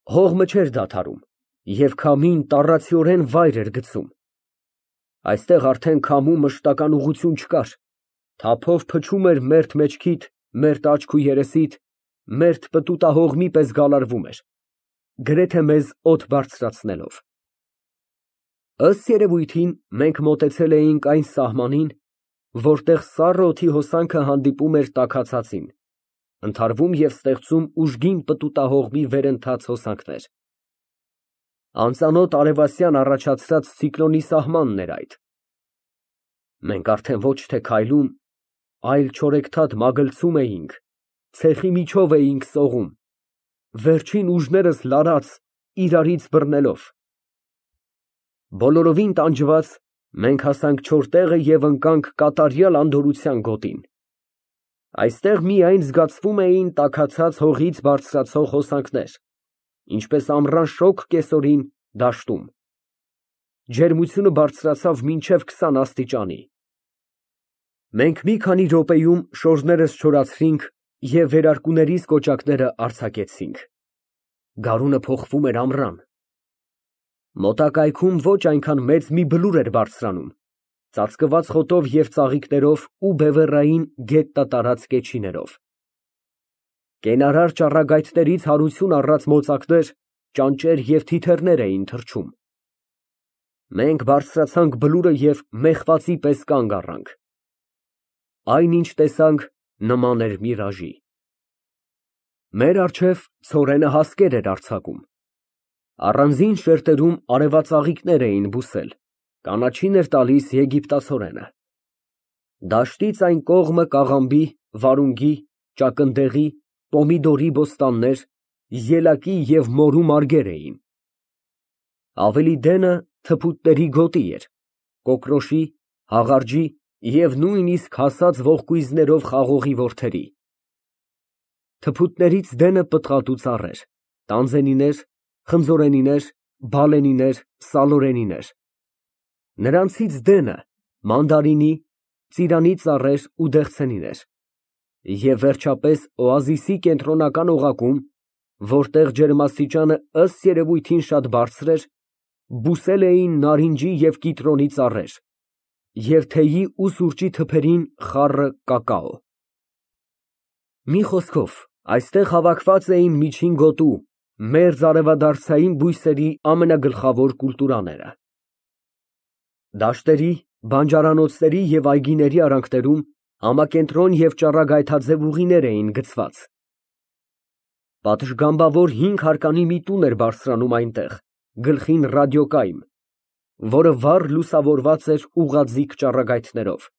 Հողմը չէր դադարում և քամին տառացիորեն վայր էր գցում։ Այստեղ արդեն քամու մշտական ուղղություն չկար, թափով փչում էր մերթ մեջքիդ, մերթ աչք ու երեսիդ, մերթ պտուտահողմի պես գալարվում էր, գրեթե մեզ օդ բարձրացնելով։ Ըստ երևույթին, մենք մոտեցել էինք այն սահմանին, որտեղ սառը օդի հոսանքը հանդիպում էր տաքացածին, ընդհարվում և ստեղծում ուժգին պտուտահողմի վերընթաց հոսանքներ։ Անծանոթ արևասյան առաջացրած ցիկլոնի սահմանն էր այդ։ Մենք արդեն ոչ թե քայլում, այլ չորեքթաթ մագլցում էինք, ցեխի միջով էինք սողում, վերջին ուժներս լարած, իրարից բռնելով։ Բոլորովին տանջված, մենք հասանք չոր տեղը և ընկանք կատարյալ անդորրության գոտին։ Այստեղ միայն զգացվում էին տաքացած հողից բարձրացող հոսանքներ, ինչպես ամռան շոգ կեսօրին դաշտում։ Ջերմությունը բարձրացավ մինչև 20 աստիճանի։ Մենք մի քանի րոպեում շորժներս չորացրինք և վերարկուներիս կոճակները արձակեցինք։ Գարունը փոխվում էր ամռան։ Մոտակայքում ոչ այնքան մեծ մի բլուր էր բարձրանում, ծածկված խոտով և ծաղիկներով ու բևեռային գետնա տարած կեչիներով։ Կենարար ճառագայթներից հարություն առած մոծակներ, ճանճեր և թիթեռներ էին թռչում։ Մենք բարձրացանք բլուրը և մեխվածի պես կանգ առանք։ Այն, ինչ տեսանք, նման էր միրաժի։ Մեր առջև ցորենը հասկեր էր արձակում։ Առանձին շերտերում արևածաղիկներ էին բուսել, կանաչին էր տալիս եգիպտացորենը։ Դաշտից այն կողմը կաղամբի, վարունգի, ճակնդեղի, պոմիդորի բոստաններ, ելակի և մորու մարգեր էին։ Ավելի դենը թփուտների գոտի էր, կոկրոշի, հաղարջի և նույնիսկ հասած ողկույզներով խաղողի որդերի։ Թփուտներից դենը պտղատու ծառեր, տանձենիներ, խնձորենիներ, բալենիներ, սալորենիներ։ Նրանցից դենը մանդարինի, ծիրանի ծառեր ու դեղցենիներ։ Եվ վերջապես օազիսի կենտրոնական օղակում, որտեղ ջերմաստիճանը ըստ երևույթին շատ բարձր էր, բուսել էին նարինջի և կիտրոնի ծառեր և թեյի ու սուրճի թփերին խառը կակաո։ Մի խոսքով, այստեղ հավաքված էին միջին գոտու, մերձարևադարձային բույսերի ամենագլխավոր կուլտուրաները։ Դաշտերի, բանջարանոցների և այգիների արանքներում համակենտրոն և ճառագայթաձև ուղիներ էին գծված։ Պատշգամբավոր 5 հարկանի մի տուն էր բարձրանում այնտեղ, գլխին ռադիոկայմ, որը վառ լուսավորված էր ուղղաձիգ ճառագայթներով։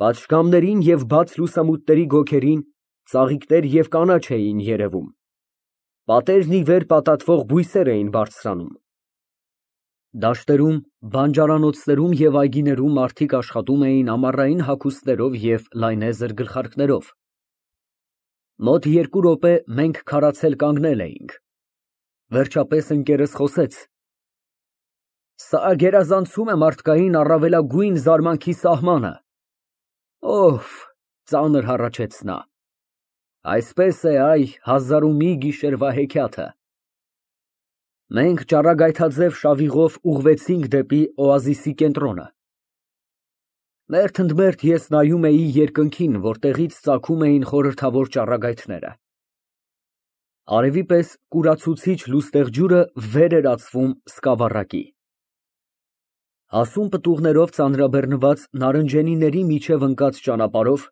Պատշգամբներին և բաց լուսամուտների գոգերին ծաղիկներ և կանաչ էին երևում։ Պատերն ի վեր պատատվող բույսեր էին բարձրանում։ Դաշտերում, բանջարանոցներում և այգիներում մարդիկ աշխատում էին ամառային հագուստներով և լայնեզր գլխարկներով։ Մոտ 2 րոպե մենք քարացել կանգնել էինք։ Վերջապես ընկերս խոսեց. «Սա գերազանցում է մարդկային առավելագույն զարմանքի սահմանը»։ Օհ, ծանր հառաչեց նա։ Այսպես է, այ, հազար ու մի գիշերվա հեքիաթը։ Մենք ճառագայթաձև շավիղով ուղղվեցինք դեպի օազիսի կենտրոնը։ Մերթ ընդ մերթ ես նայում էի երկնքին, որտեղից ծագում էին խորհրդավոր ճառագայթները։ Արևի պես կուրացուցիչ լուստեղ ջուրը վեր էր ածվում սկավառակի։ Հասուն պտուղներով ծանրաբեռնված նարնջենիների միջև ընկած ճանապարհով,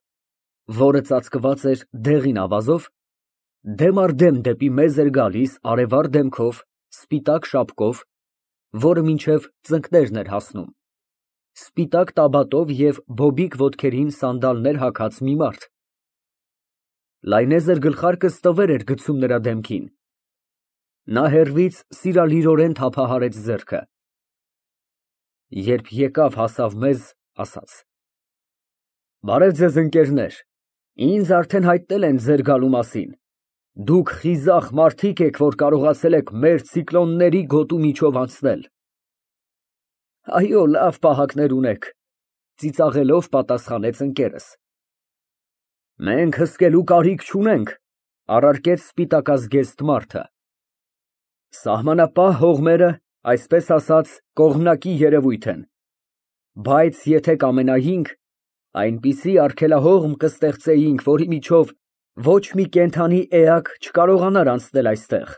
որը ծածկված էր դեղին ավազով, դեմ առ դեմ դեպի մեզ էր գալիս արևառ դեմքով, սպիտակ շապկով, որը մինչև ծնկներն էր հասնում, սպիտակ տաբատով և բոբիկ ոտքերին սանդալներ հագած մի մարդ։ Լայնեզր գլխարկը ստվեր էր գցում նրա դեմքին։ Նա հեռվից սիրալիրորեն թափահարեց ձեռքը։ Երբ եկավ հասավ մեզ, ասաց. «Բարև ձեզ, ընկերներ, ինձ արդեն հայտնել են ձեր գալու մասին։ Դուք խիզախ մարդիկ եք, որ կարողացել եք մեր ցիկլոնների գոտու միջով անցնել»։ Այո, լավ պահակներ ունեք, ծիծաղելով պատասխանեց ընկերս։ Մենք հսկելու կարիք չունենք, առարկեց սպիտակազգեստ մարդը։ Սահմանապահ հողմերը, այսպես ասած, կողմնակի երևույթ են, բայց եթե կամենայինք, այնպիսի արգելահողմ կստեղծեինք, որի միջով ոչ մի կենդանի էակ չկարողանար անցնել այստեղ։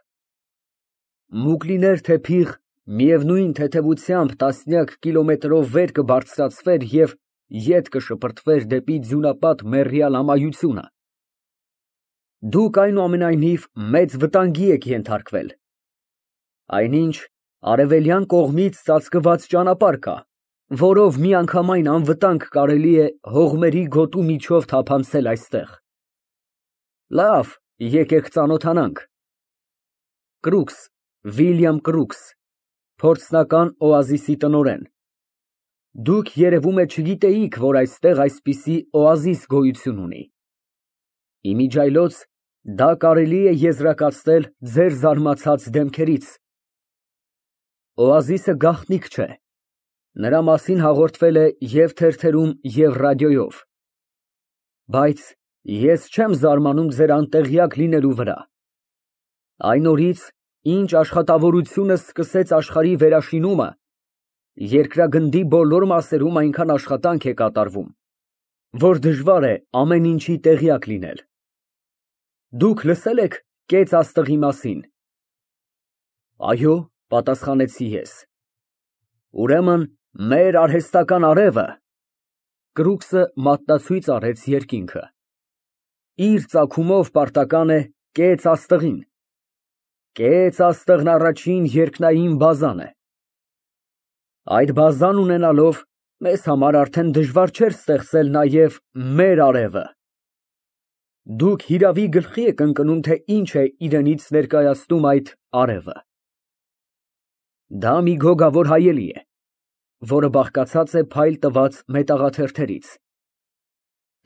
Մուգ լիներ թե փիղ, միևնույն թեթևությամբ տասնյակ կիլոմետրով վեր կբարձրացվեր և ետ կշպրտվեր դեպի ձյունապատ մեռյալ ամայությունը։ Դուք այնուամենայնիվ մեծ վտանգի եք ենթարկվել։ Այնինչ արևելյան կողմից ծածկված ճանապարհ կա, որով միանգամայն անվտանգ կարելի է հողմերի գոտու միջով թափանցել այստեղ։ Լավ, եկեք ծանոթանանք։ Կրուքս, Վիլյամ Կրուքս, փորձնական օազիսի տնօրեն։ Դուք երևում է չգիտեիք, որ այստեղ այսպիսի օազիս գոյություն ունի։ Իմիջիայլոց դա կարելի է եզրակացնել ձեր զարմացած դեմքերից։ Օազիսը գաղտնիք չէ։ Նրա մասին հաղորդվել է և թերթերում, և ռադիոյով։ Բայց ես չեմ զարմանում ձեր անտեղյակ լինելու վրա։ Այն օրից, ինչ աշխատավորությունս սկսեց աշխարհի վերաշինումը, երկրագնդի բոլոր մասերում այնքան աշխատանք է կատարվում, որ դժվար է ամեն ինչի տեղյակ լինել։ Դուք լսե՞լ եք Կեց աստղի մասին։ Այո, պատասխանեցի ես։ Ուրեմն մեր արհեստական արևը, Կրուքսը մատնացույց արեց երկինքը, իր ծագումով պարտական է Կեց աստղին։ Կեց աստղն առաջին երկնային բազան է։ Այդ բազան ունենալով, մեզ համար արդեն դժվար չէր ստեղծել նաև մեր արևը։ Դուք հիրավի գլխի եք ընկնում, թե ինչ է իրենից ներկայացնում այդ արևը։ Դա մի գոգավոր հայելի է, որը բաղկացած է փայլ տված մետաղաթերթերից։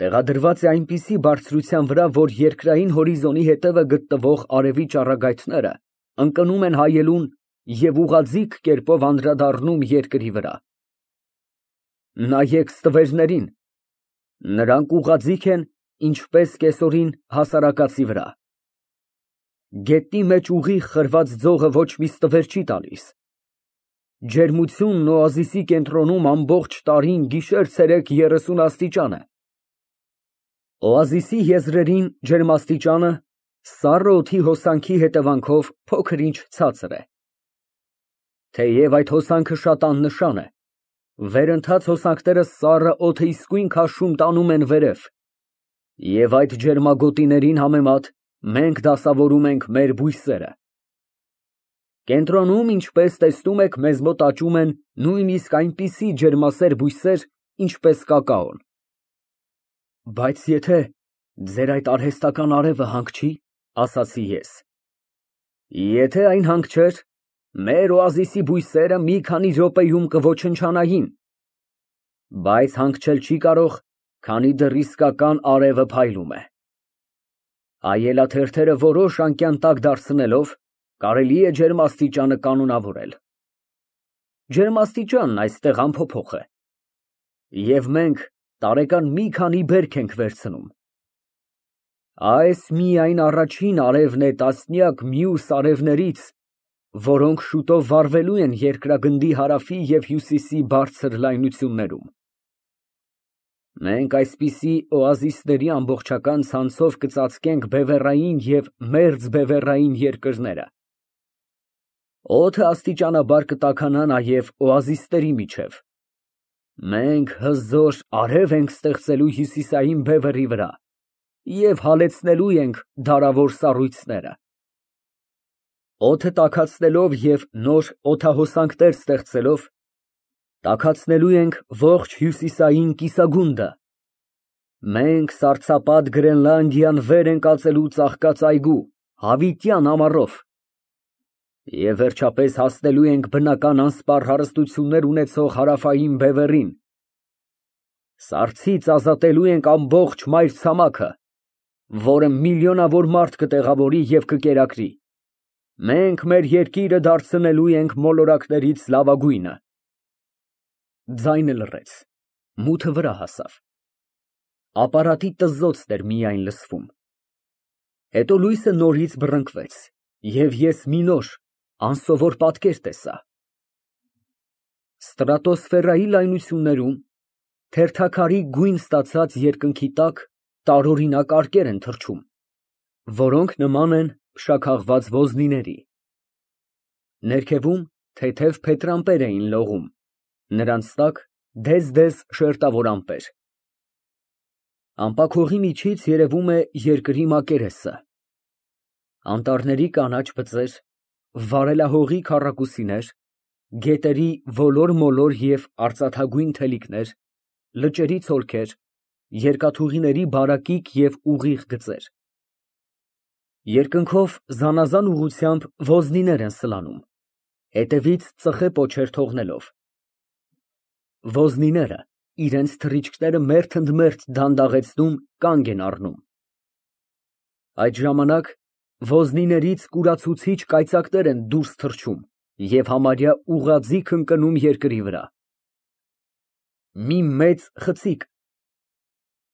Տեղադրված է այնպիսի բարձրության վրա, որ երկրային հորիզոնի հետևը գտնվող արևի ճառագայթները ընկնում են հայելուն և ուղղաձիգ կերպով անդրադառնում երկրի վրա։ Նայեք ստվերներին, նրանք ուղղաձիգ են, ինչպես կեսօրին հասարակածի վրա։ Գետնի մեջ ուղիղ խրված ձողը ոչ մի ստվեր չի տալիս։ Ջերմությունն օազիսի կենտրոնում ամբողջ տարին գիշեր֊ցերեկ 30 աստիճան է։ Օազիսի եզրերին ջերմաստիճանը սառը օդի հոսանքի հետևանքով փոքր-ինչ ցածր է։ Թեև այդ հոսանքը շատ աննշան է, վերընթաց հոսանքները սառը օդը իսկույն քաշում տանում են վերև, և այդ ջերմագոտիներին համեմատ մենք դասավորում ենք մեր բույսերը։ Կենտրոնում, ինչպես տեսնում եք, մեզ մոտ աճում են նույնիսկ այնպիսի ջերմասեր բույսեր, ինչպես կակաոն։ Բայց եթե ձեր այդ արհեստական արևը հանք չի, ասացի ես։ Եթե այն հանք չէր, մեր օազիսի բույսերը մի քանի րոպեում կոչնչանային, բայց հանգչել չի կարող, քանի դեռ իսկական արևը փայլում է։ Այելաթերթերը որոշ անկյան տակ դարձնելով, կարելի է ջերմաստիճանը կանոնավորել։ Ջերմաստիճանն այստեղ անփոփոխ է, և մենք տարեկան մի քանի բերք ենք վերցնում։ Այս միայն առաջին արևն է տասնյակ մյուս արևներից, որոնք շուտով վառվելու են երկրագնդի հարավի և հյուսիսի բարձր լայնություններում։ Մենք այսպիսի օազիսների ամբողջական ցանցով կծածկենք բևեռային և մերձբևեռային երկրները։ Օդը աստիճանաբար կտաքանա նաև օազիսների միջև։ Մենք հզոր արև ենք ստեղծելու հյուսիսային բևեռի վրա և հալեցնելու ենք դարավոր սառույցները։ Օդը տաքացնելով և նոր օդահոսանքներ ստեղծելով, տաքացնելու ենք ողջ հյուսիսային կիսագունդը։ Մենք սառցապատ Գրենլանդիան վեր ենք ածելու ծաղկած այգու, հավիտյան ամառով, և վերջապես հասնելու ենք բնական անսպառ հարստություններ ունեցող հարավային բևեռին։ Սառցից ազատելու ենք ամբողջ մայրցամաքը, որը միլիոնավոր մարդ կտեղավորի և կկերակրի։ Մենք մեր երկիրը դարձնելու ենք մոլորակներից լավագույնը։ Ձայնը լռեց, մութը վրա հասավ։ Ապարատի տզոցն էր միայն լսվում։ Հետո լույսը նորից բռնկվեց, և ես մի նոր, անսովոր պատկեր տեսա։ Ստրատոսֆերայի լայնություններում թերթաքարի գույն ստացած երկնքի տակ տարօրինակ արկեր են թռչում, որոնք նման են փշաքաղված ոզնիների։ Ներքևում թեթև փետրամպեր էին լողում, նրանց տակ դեզ շերտավոր ամպեր։ Ամպաքողի միջից երևում է երկրի մակերեսը։ Անտառների կանաչ բծեր, վարելահողի քառակուսիներ, գետերի ոլոր-մոլոր և արծաթագույն թելիկներ, լճերի ցոլքեր, երկաթուղիների բարակիկ և ուղիղ գծեր։ Երկնքով զանազան ուղղությամբ ոզնիներ են սլանում, հետևից ծխե պոչեր թողնելով։ Ոզնիները իրենց թռիչքները մերթ ընդ մերթ դանդաղեցնում, կանգ են առնում։ Այդ ժամանակ ոզնիներից կուրացուցիչ կայծակներ են դուրս թռչում և համարյա ուղղաձիգ ընկնում երկրի վրա։ Մի մեծ խցիկ,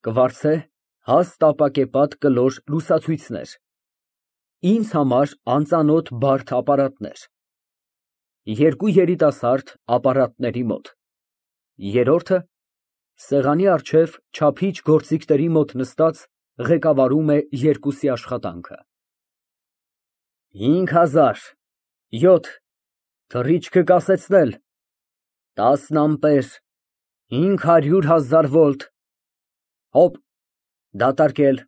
կվարձե, հաստ ապակեպատ կլոր լուսացույցներ, ինձ համար անծանոթ բարդ ապարատներ, երկու երիտասարդ ապարատների մոտ, երրորդը սեղանի առջև չափիչ գործիքների մոտ նստած ղեկավարում է երկուսի աշխատանքը։ 5000, 7, թռիչքը կասեցնել, 10 ամպեր, 500,000 վոլտ, հոպ, դատարկել։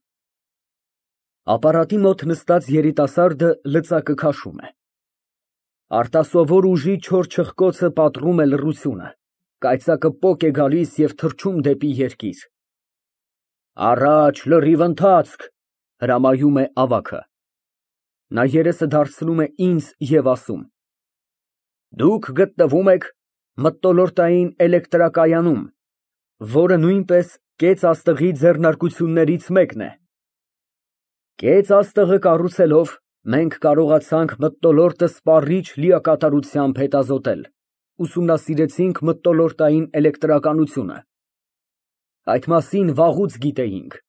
Ապարատի մոտ նստած երիտասարդը լծակը քաշում է։ Արտասովոր ուժի չոր չխկոցը պատռում է լռությունը, կայծակը պոկ է գալիս և թռչում դեպի երկիր։ Առաջ, լրիվ ընթացք, հրամայում է ավագը։ Նա երեսը դարձնում է ինձ և ասում. Դուք գտնվում եք մթնոլորտային էլեկտրակայանում, որը նույնպես կեց աստղի ձեռնարկություններից մեկն է։ Կեց աստղը կառուցելով մենք կարողացանք մթնոլորտը սպառիչ լիակատարությամբ հետազոտել, ուսումնասիրեցինք մթնոլորտային էլեկտրականությունը։ Այդ մասին վաղուց գիտեինք։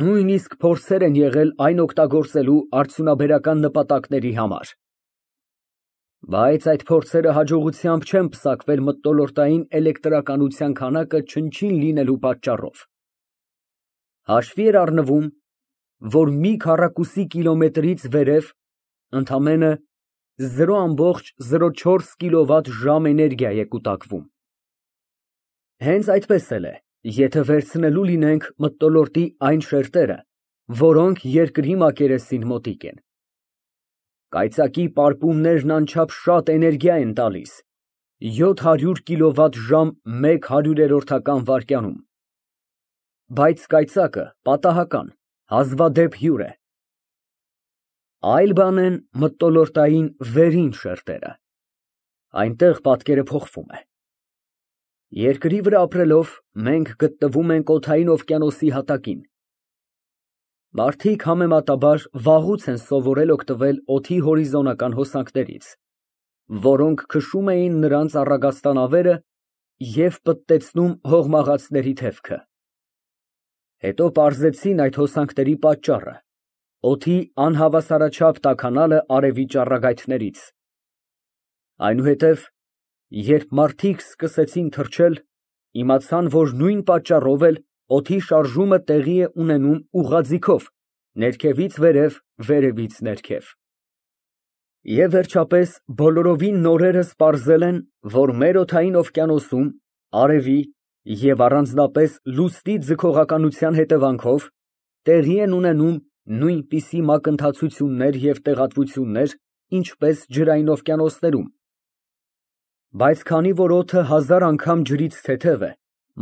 Նույնիսկ փորձեր են եղել այն օգտագործելու արդյունաբերական նպատակների համար։ Բայց այդ փորձերը հաջողությամբ չեն պսակվել մթնոլորտային էլեկտրականության քանակը չնչին լինելու պատճառով։ Հաշվի էր առնվում, որ մի քառակուսի կիլոմետրից վերև ընդամենը 0,04 կՎտ. ժամ էներգիա է կուտակվում։ Հենց այդպես էլ է, եթե վերցնելու լինենք մթնոլորտի այն շերտերը, որոնք երկրի մակերեսին մոտիկ են։ Կայծակի պարպումներն անչափ շատ էներգիա են տալիս, 700 կՎտ. մեկ հարյուրերորդական վայրկյանում։ Բայց կայծակը պատահական, հազվադեպ հյուր է։ Այլ բան են մթնոլորտային վերին շերտերը։ Այնտեղ պատկերը փոխվում է։ Երկրի վրա ապրելով մենք գտնվում ենք օդային օվկիանոսի հատակին։ Մարդիկ համեմատաբար վաղուց են սովորել օգտվել օդի հորիզոնական հոսանքներից, որոնք քշում էին նրանց առագաստանավերը և պտտեցնում հողմաղացների թևքը։ Հետո պարզեցին այդ հոսանքների պատճառը՝ օդի անհավասարաչափ տաքանալը արևի ճառագայթներից։ Այնուհետև, երբ մարդիկ սկսեցին թռչել, իմացան, որ նույն պատճառով էլ օդի շարժումը տեղի է ունենում ուղղաձիգով, ներքևից վերև, վերևից ներքև։ Եվ վերջապես բոլորովին նորերս պարզել են, որ մեր օդային օվկիանոսում արևի և առանձնապես լուսնի ձգողականության հետևանքով տեղի են ունենում նույնպիսի մակընթացություններ և տեղատվություններ, ինչպես ջրային օվկիանոսներում։ Բայց քանի որ օդը 1000 անգամ ջրից թեթև է,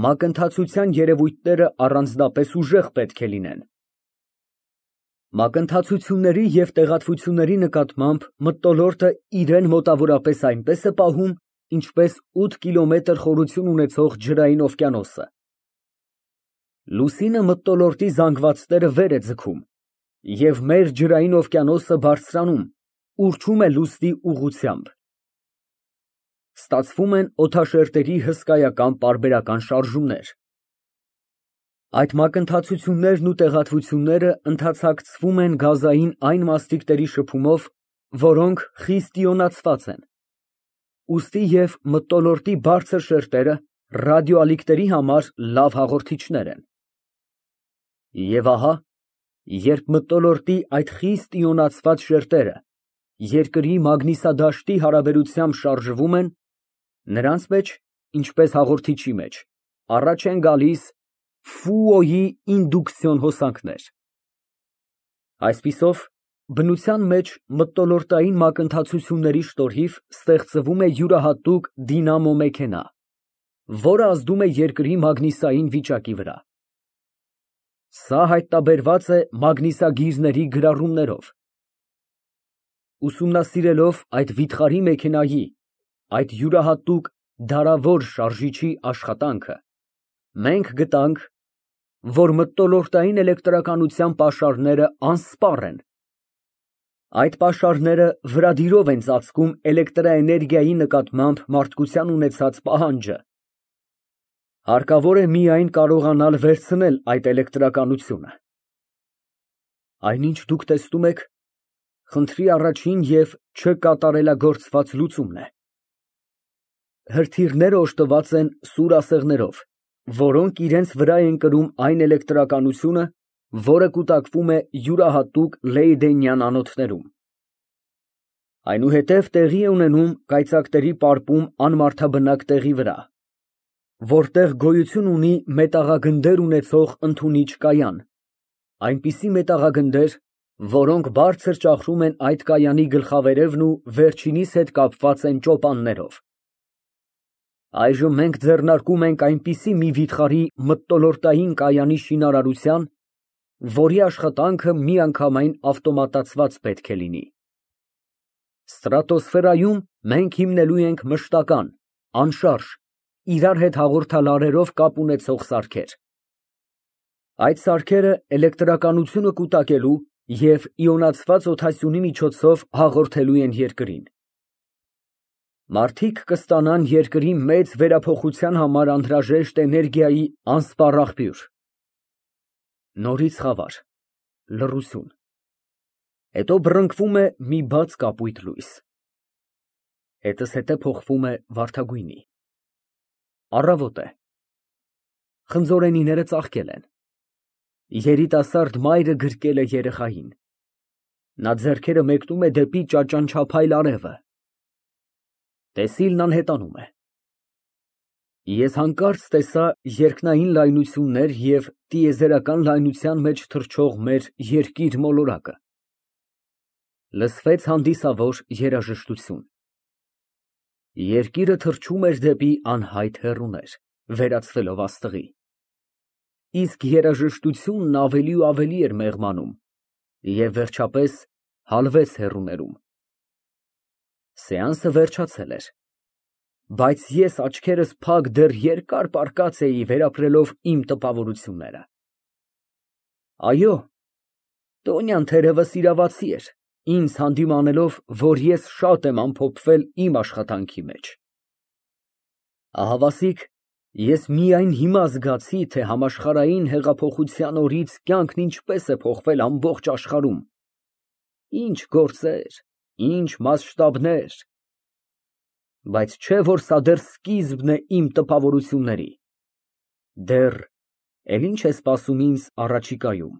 մակընթացության երևույթները առանձնապես ուժեղ պետք է լինեն։ Մակընթացությունների և տեղատվությունների նկատմամբ մթնոլորտը իրեն մոտավորապես այնպես է պահում, ինչպես 8 կիլոմետր խորություն ունեցող ջրային օվկիանոսը։ Լուսինը մթնոլորտի զանգվածները վեր է ձգում, և մեր ջրային օվկիանոսը բարձրանում, ուռչում է լուսնի ուղղությամբ։ Ստացվում են օդաշերտերի հսկայական պարբերական շարժումներ։ Այդ մակընթացություններն ու տեղատվությունները ընդհանցակցվում են գազային այն մասնիկների շփումով, որոնք խիստ իոնացված են, ուստի և մթնոլորտի բարձր շերտերը ռադիոալիքների համար լավ հաղորդիչներ են։ Եվ ահա, երբ մթնոլորտի այդ խիստ իոնացված շերտերը երկրի մագնիսադաշտի հարաբերությամբ շարժվում են, նրանց մեջ, ինչպես հաղորդիչի մեջ, առաջ են գալիս Ֆուոյի ինդուկցիոն հոսանքներ։ Այսպիսով, բնության մեջ մթնոլորտային մակընթացությունների շնորհիվ ստեղծվում է յուրահատուկ դինամո մեքենա, որը ազդում է երկրի մագնիսային վիճակի վրա։ Սա հայտնաբերված է մագնիսագիրների գրառումներով։ Ուսումնասիրելով այդ վիթխարի մեքենայի, այդ յուրահատուկ դարավոր շարժիչի աշխատանքը, մենք գտանք, որ մթնոլորտային էլեկտրականության պաշարները անսպառ են։ Այդ պաշարները վրադիրով են ծածկում էլեկտրաէներգիայի նկատմամբ մարդկության ունեցած պահանջը։ Հարկավոր է միայն կարողանալ վերցնել այդ էլեկտրականությունը։ Այնինչ դուք տեսնում եք, խնդրի առաջին և չկատարելագործված լուծումն է։ Հրթիռները օժտված են սուր ասեղներով, որոնք իրենց վրա են կրում այն էլեկտրականությունը, որը կուտակվում է յուրահատուկ Լեյդենյան անոթներում։ Այնուհետև տեղի է ունենում կայծակների պարպում անմարդաբնակ տեղի վրա, որտեղ գոյություն ունի մետաղագնդեր ունեցող ընդունիչ կայան, այնպիսի մետաղագնդեր, որոնք բարձր ճախրում են այդ կայանի գլխավերևն ու վերջինիս հետ կապված են ճոպաններով։ Այժմ մենք ձեռնարկում ենք այնպիսի մի վիթխարի մթնոլորտային կայանի շինարարության, որի աշխատանքը միանգամայն ավտոմատացված պետք է լինի։ Ստրատոսֆերայում մենք հիմնելու ենք մշտական, անշարժ, իրար հետ հաղորդալարերով կապ ունեցող սարքեր։ Այդ սարքերը էլեկտրականությունը կուտակելու և իոնացված օդասյունի միջոցով հաղորդելու են երկրին։ Մարդիկ կստանան երկրի մեծ վերափոխության համար անհրաժեշտ էներգիայի անսպառ աղբյուր։ Նորից խավար, լռություն, հետո բռնկվում է մի բաց կապույտ լույս, հետզհետե փոխվում է վարդագույնի։ Առավոտ է, խնձորենիները ծաղկել են, երիտասարդ մայրը գրկել է երեխային, նա ձեռքերը մեկնում է դեպի ճաճանչափայլ արևը, տեսիլն անհետանում է։ Ես հանկարծ տեսա երկնային լայնություններ և տիեզերական լայնության մեջ թռչող մեր երկիր մոլորակը։ Լսվեց հանդիսավոր երաժշտություն։ Երկիրը թռչում էր դեպի անհայտ հեռուներ, վերածվելով աստղի։ Իսկ երաժշտությունն ավելի ու ավելի էր մեղմանում և վերջապես հալվեց հեռուներում։ Սեանսը վերջացել էր, բայց ես աչքերս փակ դեռ երկար պառկած էի վերապրելով իմ տպավորությունները։ Այո, Տոնյան թերևս իրավացի էր, ինձ հանդիմանելով, որ ես շատ եմ ամփոփվել իմ աշխատանքի մեջ։ Ահավասիկ, ես միայն հիմա զգացի, թե համաշխարհային հեղափոխության օրից կյանքն ինչպես է փոխվել ամբողջ աշխարհում, ինչ գործեր, ինչ մասշտաբներ, բայց չէ որ սա դեռ սկիզբն է իմ տպավորությունների, դեռ էլ ինչ է սպասում ինձ առաջիկայում։